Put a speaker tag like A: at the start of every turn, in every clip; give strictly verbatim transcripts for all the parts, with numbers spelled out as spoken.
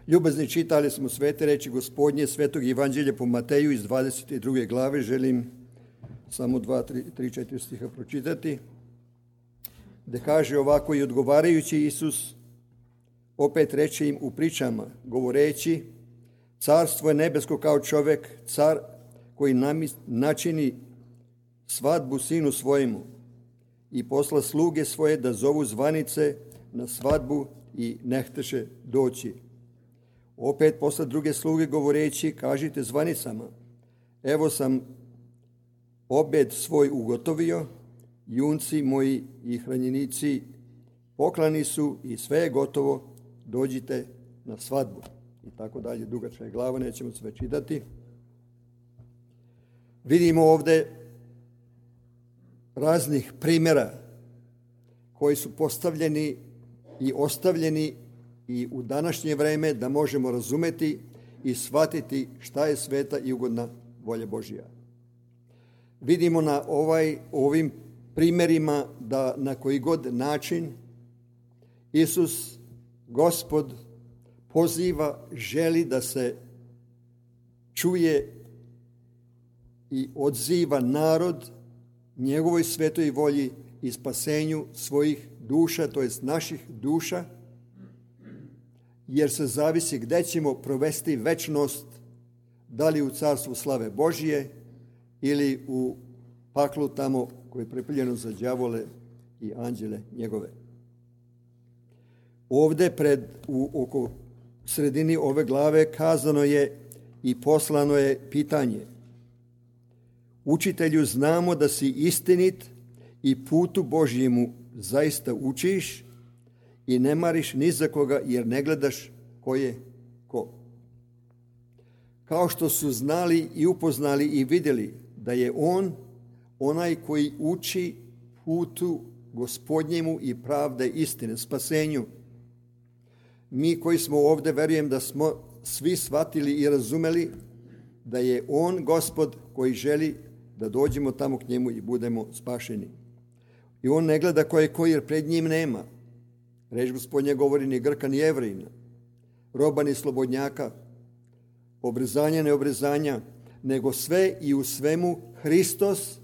A: Ljubazni, čitali smo svete reči Gospodnje, svetog evanđelja po Mateju iz dvadeset druge glave. Želim samo dva, tri, tri, četiri stiha pročitati. Da kaže ovako: i odgovarajući Isus opet reče im u pričama, govoreći, carstvo je nebesko kao čovek, car koji načini svadbu sinu svojemu i posla sluge svoje da zovu zvanice na svadbu i ne hteše doći. Opet posla druge sluge govoreći, kažite zvanicama, evo sam obed svoj ugotovio, junci moji i hranjenici poklani su i sve je gotovo, dođite na svadbu. I tako dalje, dugačka je glava, nećemo sve čitati. Vidimo ovde raznih primjera koji su postavljeni i ostavljeni i u današnje vreme da možemo razumeti i shvatiti šta je sveta i ugodna volja Božja. Vidimo na ovaj, ovim primjerima da na koji god način Isus, Gospod, poziva, želi da se čuje i odziva narod njegovoj svetoj volji i spasenju svojih duša, to jest naših duša, jer se zavisi gde ćemo provesti večnost, da li u carstvu slave Božije ili u paklu tamo koje je pripremljeno za đavole i anđele njegove. Ovde pred, u, oko sredini ove glave kazano je i poslano je pitanje. Učitelju, znamo da si istinit i putu Božjemu zaista učiš i ne mariš ni za koga jer ne gledaš ko je ko. Kao što su znali i upoznali i vidjeli da je on onaj koji uči putu Gospodnjemu i pravde istine, spasenju. Mi koji smo ovdje, verujem da smo svi shvatili i razumeli da je on Gospod koji želi da dođemo tamo k njemu i budemo spašeni. I on ne gleda ko je ko, jer pred njim nema. Reč Gospodnja govori ni Grka ni Jevrejina, roba ni slobodnjaka, obrezanja ne obrezanja, nego sve i u svemu Hristos.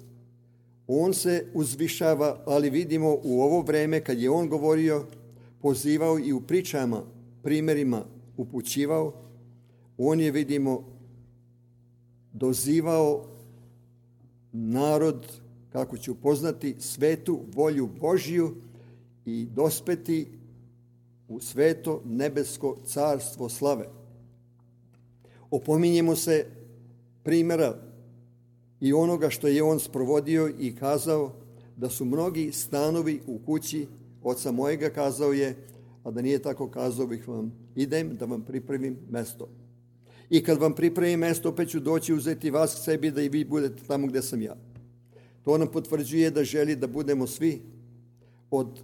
A: On se uzvišava, ali vidimo u ovo vreme kad je on govorio, pozivao i u pričama, primjerima upućivao, on je, vidimo, dozivao narod kako će upoznati svetu volju Božju i dospeti u sveto nebesko carstvo slave. Opominjemo se primjera i onoga što je on sprovodio i kazao da su mnogi stanovi u kući oca mojega, kazao je, a da nije tako kazao bih vam, idem da vam pripremim mesto. I kad vam pripremim mesto, opet ću doći uzeti vas k sebi da i vi budete tamo gdje sam ja. To nam potvrđuje da želi da budemo svi od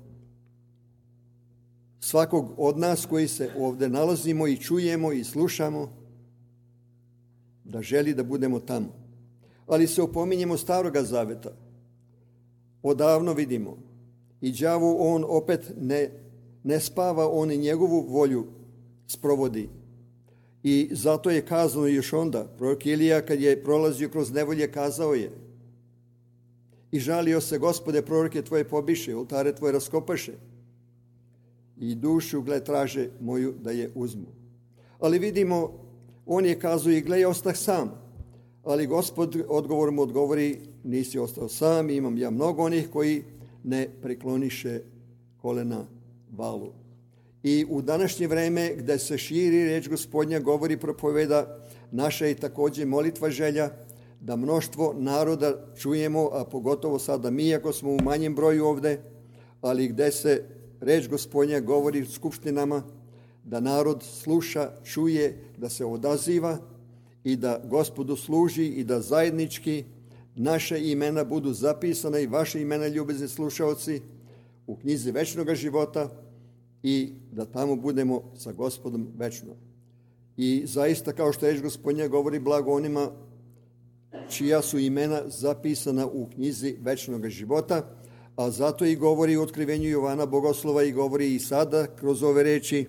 A: svakog od nas koji se ovdje nalazimo i čujemo i slušamo, da želi da budemo tamo. Ali se opominjemo Staroga Zaveta. Odavno vidimo i đavo on opet ne, ne spava, on i njegovu volju sprovodi. I zato je kazano još onda, prorok Ilija kad je prolazio kroz nevolje kazao je i žalio se, Gospode, proroke tvoje pobiše, oltare tvoje raskopaše i dušu, gle, traže moju da je uzmu. Ali vidimo, on je kazao i gle, ostah sam. Ali Gospod odgovor mu odgovori, nisi ostao sam, imam ja mnogo onih koji ne prekloniše kolena valu. I u današnje vreme gdje se širi reč Gospodnja, govori, propoveda, naša je također molitva želja da mnoštvo naroda čujemo, a pogotovo sada mi, ako smo u manjem broju ovdje, ali gdje se reč Gospodnja govori u skupštinama, da narod sluša, čuje, da se odaziva i da Gospodu služi i da zajednički naše imena budu zapisana i vaše imena, ljubezni slušaoci, u knjizi večnog života i da tamo budemo sa Gospodom večno. I zaista, kao što reč Gospodnja govori, blago onima čija su imena zapisana u knjizi večnog života, a zato i govori u otkrivenju Jovana Bogoslova i govori i sada kroz ove reči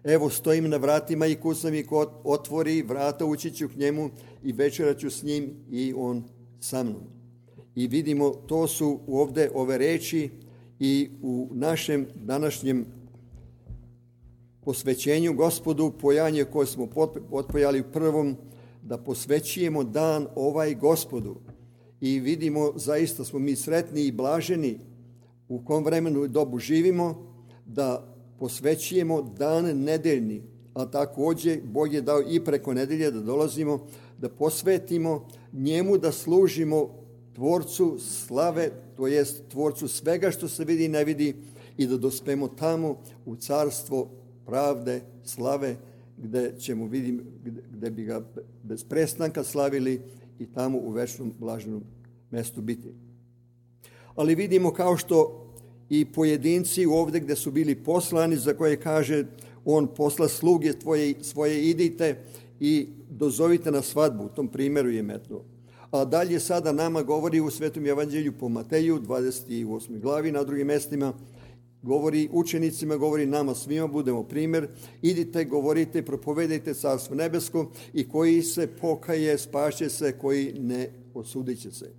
A: Evo, stojim na vratima i kucam i ko otvori vrata, ući ću k njemu i večeraću s njim i on sa mnom. I vidimo, to su ovdje ove reči i u našem današnjem posvećenju Gospodu, pojanje koje smo otpojali u prvom, da posvećujemo dan ovaj Gospodu. I vidimo, zaista smo mi sretni i blaženi u kom vremenu i dobu živimo, da posvećujemo dan nedeljni, a također Bog je dao i preko nedelje da dolazimo, da posvetimo njemu, da služimo Tvorcu slave, to jest Tvorcu svega što se vidi i ne vidi, i da dospemo tamo u carstvo pravde, slave, gde ćemo vidim, gde, gde bi ga bez prestanka slavili i tamo u večnom blaženom mestu biti. Ali vidimo, kao što i pojedinci ovdje gdje su bili poslani, za koje kaže on posla sluge tvoje, svoje, idite i dozovite na svadbu, u tom primjeru je metno. A dalje sada nama govori u Svetom evanđelju po Mateju, dvadeset osmoj glavi, na drugim mestima, govori učenicima, govori nama svima, budemo primjer, idite, govorite, propovedajte carstvo nebesko i koji se pokaje, spašće se, koji ne, osudit će se.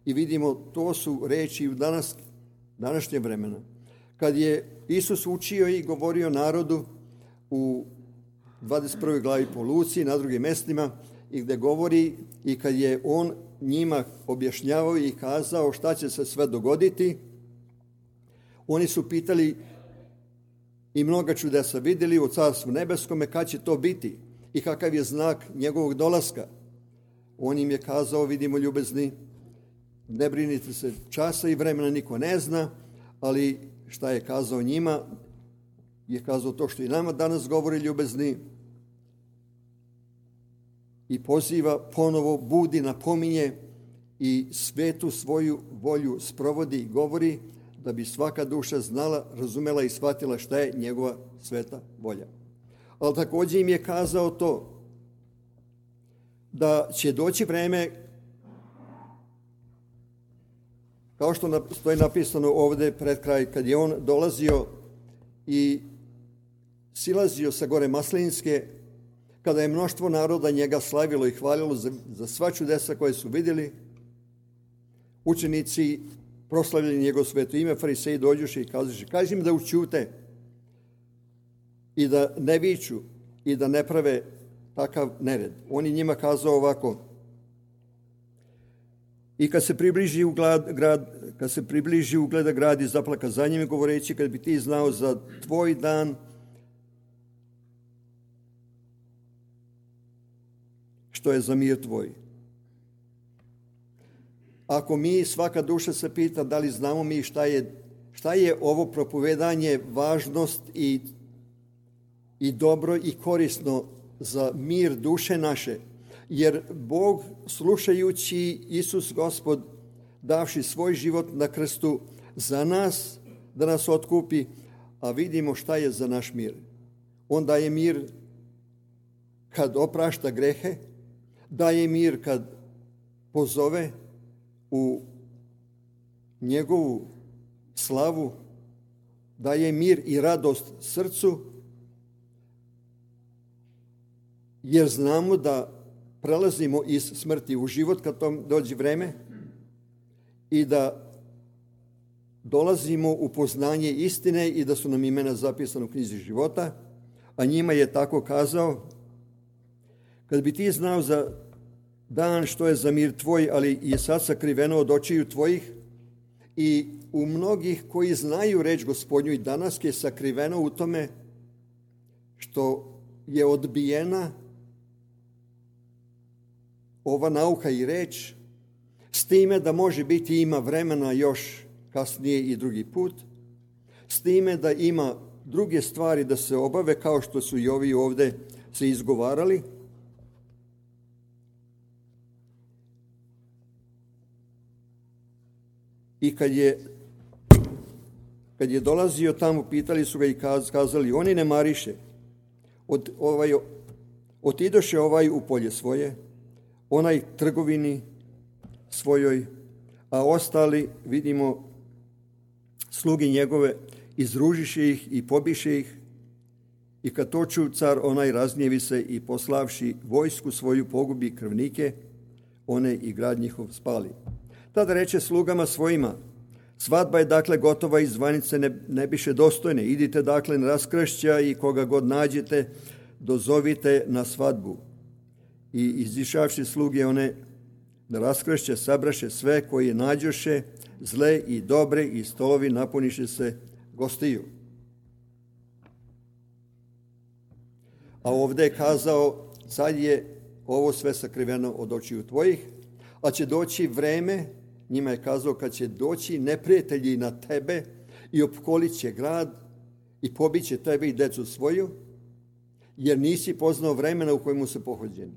A: I vidimo, to su reči u danas, današnje vremena. Kad je Isus učio i govorio narodu u dvadeset prvoj glavi po Luci, na drugim mestima, i gdje govori i kad je on njima objašnjavao i kazao šta će se sve dogoditi, oni su pitali i mnoga čudesa vidjeli u carstvu nebeskome, kad će to biti i kakav je znak njegovog dolaska. On im je kazao, vidimo ljubezni, ne brinite se, časa i vremena niko ne zna, ali šta je kazao njima, je kazao to što i nama danas govori ljubezni, i poziva ponovo, budi, napominje i svetu svoju volju sprovodi i govori, da bi svaka duša znala, razumela i shvatila šta je njegova sveta volja. Ali također im je kazao to, da će doći vreme, kao što stoji napisano ovdje pred kraj, kad je on dolazio i silazio sa gore Maslinske, kada je mnoštvo naroda njega slavilo i hvalilo za, za sva čudesa koje su vidjeli, učenici proslavljali njegov sveto ime, fariseji dođuše i kazuše, kaži im da učute i da ne viču i da ne prave takav nered. On je njima kazao ovako, i kad se približi u grad, grad, kad se približi ugleda grad i zaplaka za njim, govoreći, kad bi ti znao za tvoj dan, što je za mir tvoj. Ako mi, svaka duša se pita da li znamo mi šta je, šta je ovo propovedanje, važnost i, i dobro i korisno za mir duše naše, jer Bog, slušajući Isus Gospod, davši svoj život na krstu za nas, da nas otkupi, a vidimo šta je za naš mir. On daje mir kad oprašta grehe, daje mir kad pozove u njegovu slavu, daje mir i radost srcu, jer znamo da prelazimo iz smrti u život kad tom dođe vreme i da dolazimo u poznanje istine i da su nam imena zapisana u knjizi života, a njima je tako kazao, kad bi ti znao za dan što je za mir tvoj, ali je sad sakriveno od očiju tvojih, i u mnogih koji znaju reč Gospodnju i danas je sakriveno u tome što je odbijena ova nauka i reč, s time da može biti ima vremena još kasnije i drugi put, s time da ima druge stvari da se obave, kao što su i ovi ovdje se izgovarali. I kad je, kad je dolazio tamo, pitali su ga i kazali, oni ne mariše, od, ovaj, otidoše ovaj u polje svoje, onaj trgovini svojoj, a ostali, vidimo, slugi njegove, izružiše ih i pobiše ih, I kad to ču car onaj razgnjevi se i poslavši vojsku svoju pogubi krvnike, one i grad njihov spali. Tada reče slugama svojima, svadba je dakle gotova i zvanice ne, ne biše dostojne. Idite dakle na raskršća i koga god nađete, dozovite na svadbu. I izišavši sluge one na raskršće sabraše sve koji nađoše, zle i dobre, i stolovi napuniše se gostiju. A ovdje je kazao, sad je ovo sve sakriveno od očiju tvojih, a će doći vreme, njima je kazao, kad će doći neprijatelji na tebe i opkolit će grad i pobit će tebe i decu svoju, jer nisi poznao vremena u kojemu su pohođeni.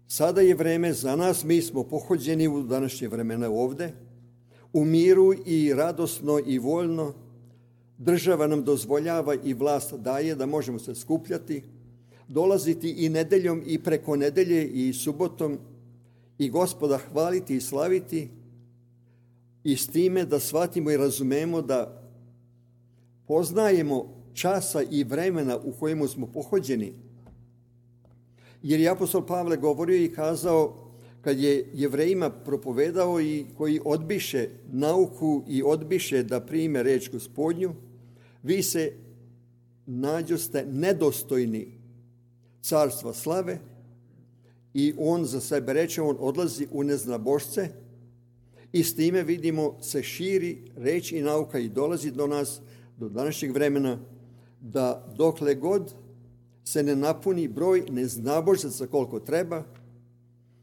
A: Sada je vreme za nas, mi smo pohođeni u današnje vremena ovdje, u miru i radosno i voljno. Država nam dozvoljava i vlast daje da možemo se skupljati, dolaziti i nedeljom i preko nedelje i subotom i Gospoda hvaliti i slaviti, i s time da shvatimo i razumemo da poznajemo časa i vremena u kojemu smo pohođeni. Jer je apostol Pavle govorio i kazao, kad je Jevrejima propovedao i koji odbiše nauku i odbiše da prime reč Gospodnju, vi se nađoste nedostojni carstva slave, i on za sebe reče, on odlazi u neznabošce, i s time vidimo se širi reč i nauka i dolazi do nas, do današnjeg vremena, da dokle god se ne napuni broj neznabožaca koliko treba,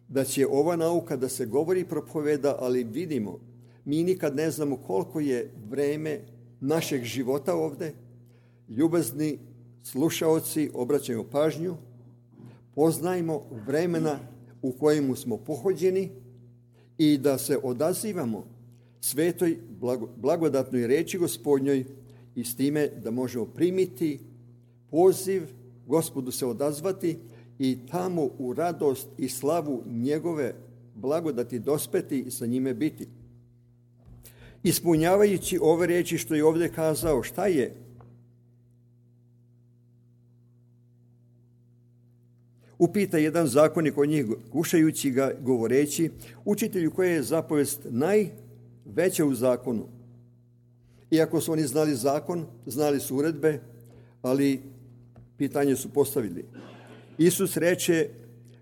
A: da će ova nauka da se govori i propoveda, ali vidimo, mi nikad ne znamo koliko je vreme našeg života ovdje. Ljubazni slušaoci, obraćajmo pažnju, poznajmo vremena u kojemu smo pohođeni i da se odazivamo svetoj blagodatnoj reči Gospodnjoj, i s time da možemo primiti poziv, Gospodu se odazvati i tamo u radost i slavu njegove blagodati dospeti i sa njime biti. Ispunjavajući ove riječi što je ovdje kazao, šta je? Upita jedan zakonik od njih, kušajući ga, govoreći, učitelju, koja je zapovest najveća u zakonu? Iako su oni znali zakon, znali su uredbe, ali pitanje su postavili. Isus reče,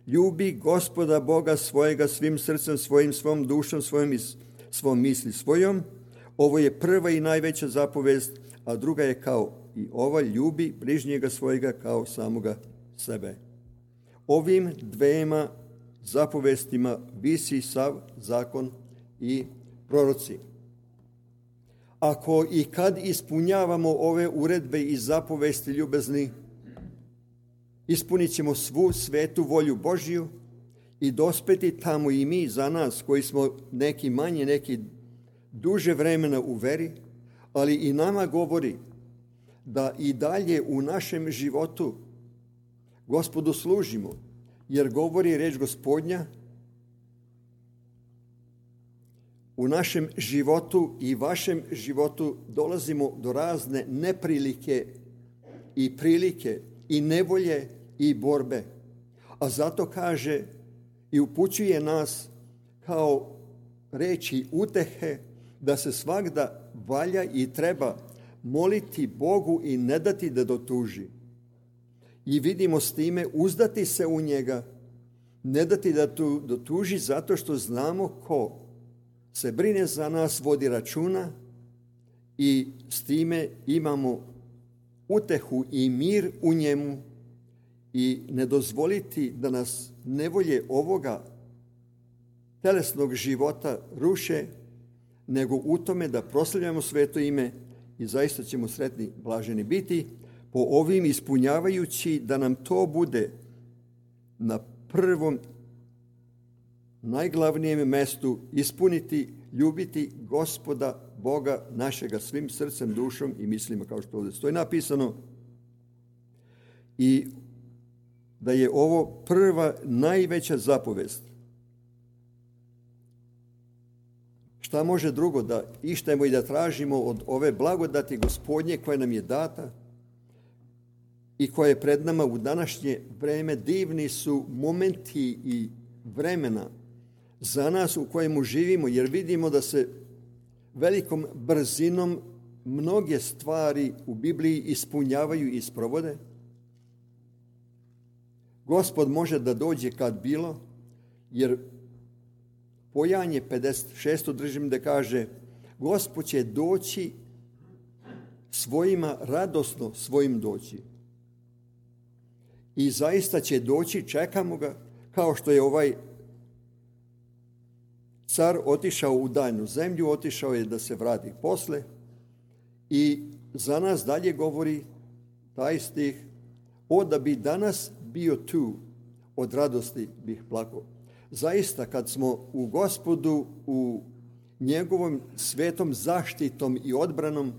A: ljubi Gospoda Boga svojega svim srcem svojim, svom dušom svojim i svom misli svojom. Ovo je prva i najveća zapovest, a druga je kao i ova, ljubi bližnjega svojega kao samoga sebe. Ovim dvema zapovestima visi sav zakon i proroci. Ako i kad ispunjavamo ove uredbe i zapovesti ljubezni, ispunit ćemo svu svetu volju Božju i dospeti tamo i mi za nas koji smo neki manje, neki duže vremena u veri, ali i nama govori da i dalje u našem životu Gospodu služimo, jer govori reč Gospodnja, u našem životu i vašem životu dolazimo do razne neprilike i prilike i nevolje i borbe. A zato kaže i upućuje nas kao reči utehe da se svagda valja i treba moliti Bogu i ne dati da dotuži. I vidimo s time uzdati se u njega, ne dati da tu dotuži, zato što znamo ko se brine za nas, vodi računa, i s time imamo utehu i mir u njemu, i ne dozvoliti da nas nevolje ovoga telesnog života ruše, nego u tome da proslavljamo sveto ime i zaista ćemo sretni, blaženi biti, po ovim ispunjavajući da nam to bude na prvom, najglavnijem mestu, ispuniti, ljubiti Gospoda Boga našega svim srcem, dušom i mislima, kao što ovdje stoji napisano, i da je ovo prva najveća zapovest. Šta može drugo da ištemo i da tražimo od ove blagodati Gospodnje koja nam je data, i koje je pred nama u današnje vreme, divni su momenti i vremena za nas u kojemu živimo, jer vidimo da se velikom brzinom mnoge stvari u Bibliji ispunjavaju i sprovode. Gospod može da dođe kad bilo, jer Pojanje pedeset šest držim da kaže Gospod će doći svojima, radosno svojim doći. I zaista će doći, čekamo ga, kao što je ovaj car otišao u daljnu zemlju, otišao je da se vrati posle i za nas dalje govori taj stih, o da bi danas bio tu, od radosti bih plakao. Zaista, kad smo u Gospodu, u njegovom svetom zaštitom i odbranom,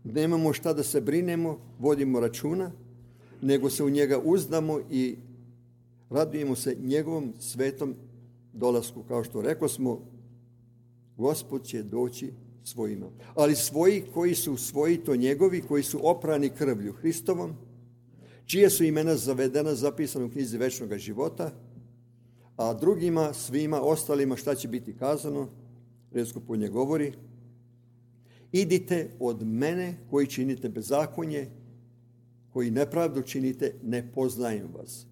A: nemamo šta da se brinemo, vodimo računa, nego se u njega uzdamo i radujemo se njegovom svetom dolasku. Kao što rekao smo, Gospod će doći svojima. Ali svoji koji su svoji, to njegovi, koji su oprani krvlju Hristovom, čije su imena zavedena, zapisana u knjizi večnog života, a drugima, svima ostalima, šta će biti kazano? Riječ Gospodnja govori, idite od mene koji činite bezakonje, koji nepravdu činite, ne poznajem vas.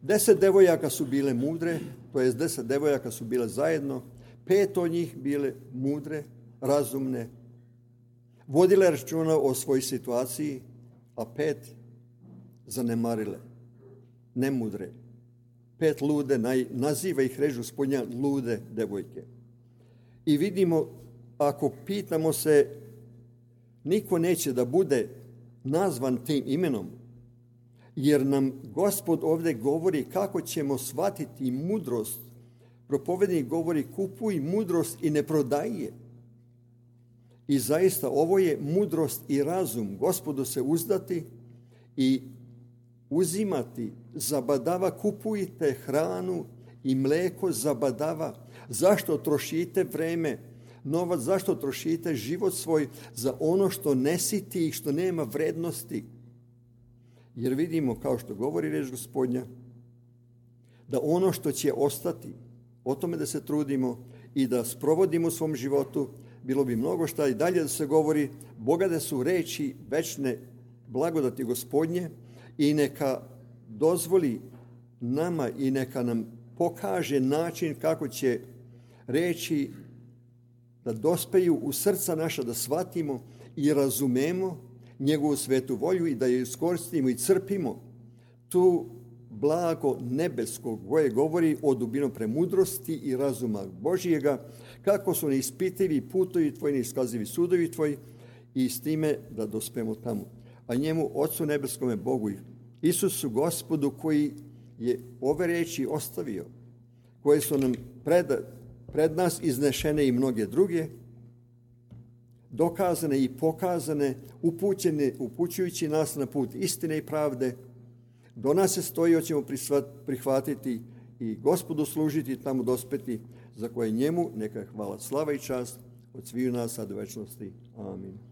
A: Deset devojaka su bile mudre, to jest deset devojaka su bile zajedno, pet od njih bile mudre, razumne, vodile računa o svojoj situaciji, a pet zanemarile, nemudre. Pet lude, naziva ih reč Gospodnja lude devojke. I vidimo, ako pitamo se, niko neće da bude nazvan tim imenom, jer nam Gospod ovdje govori kako ćemo shvatiti mudrost. Propovednik govori kupuj mudrost i ne prodaj je. I zaista ovo je mudrost i razum. Gospodu se uzdati i uzimati, zabadava, kupujte hranu i mleko, zabadava. Zašto trošite vreme, novac, zašto trošite život svoj za ono što ne siti i što nema vrednosti? Jer vidimo, kao što govori reč Gospodnja, da ono što će ostati, o tome da se trudimo i da sprovodimo u svom životu, bilo bi mnogo šta i dalje da se govori, bogate su reči večne blagodati Gospodnje i neka dozvoli nama i neka nam pokaže način kako će reči da dospeju u srca naša, da shvatimo i razumemo njegovu svetu volju i da je iskoristimo i crpimo tu blago nebeskog koje govori o dubinom premudrosti i razuma Božijega, kako su neispitivi putovi tvoji, neiskazivi sudovi tvoji, i s time da dospemo tamo. A njemu, Otcu nebeskome Bogu i Isusu Gospodu, koji je ove reči ostavio, koje su nam pred, pred nas iznešene i mnoge druge, dokazane i pokazane, upućene, upućujući nas na put istine i pravde, do nas se stoji, hoćemo prihvatiti i Gospodu služiti, tamo dospeti, za koje njemu neka hvala, slava i čast od sviju nas sad u večnosti. Amin.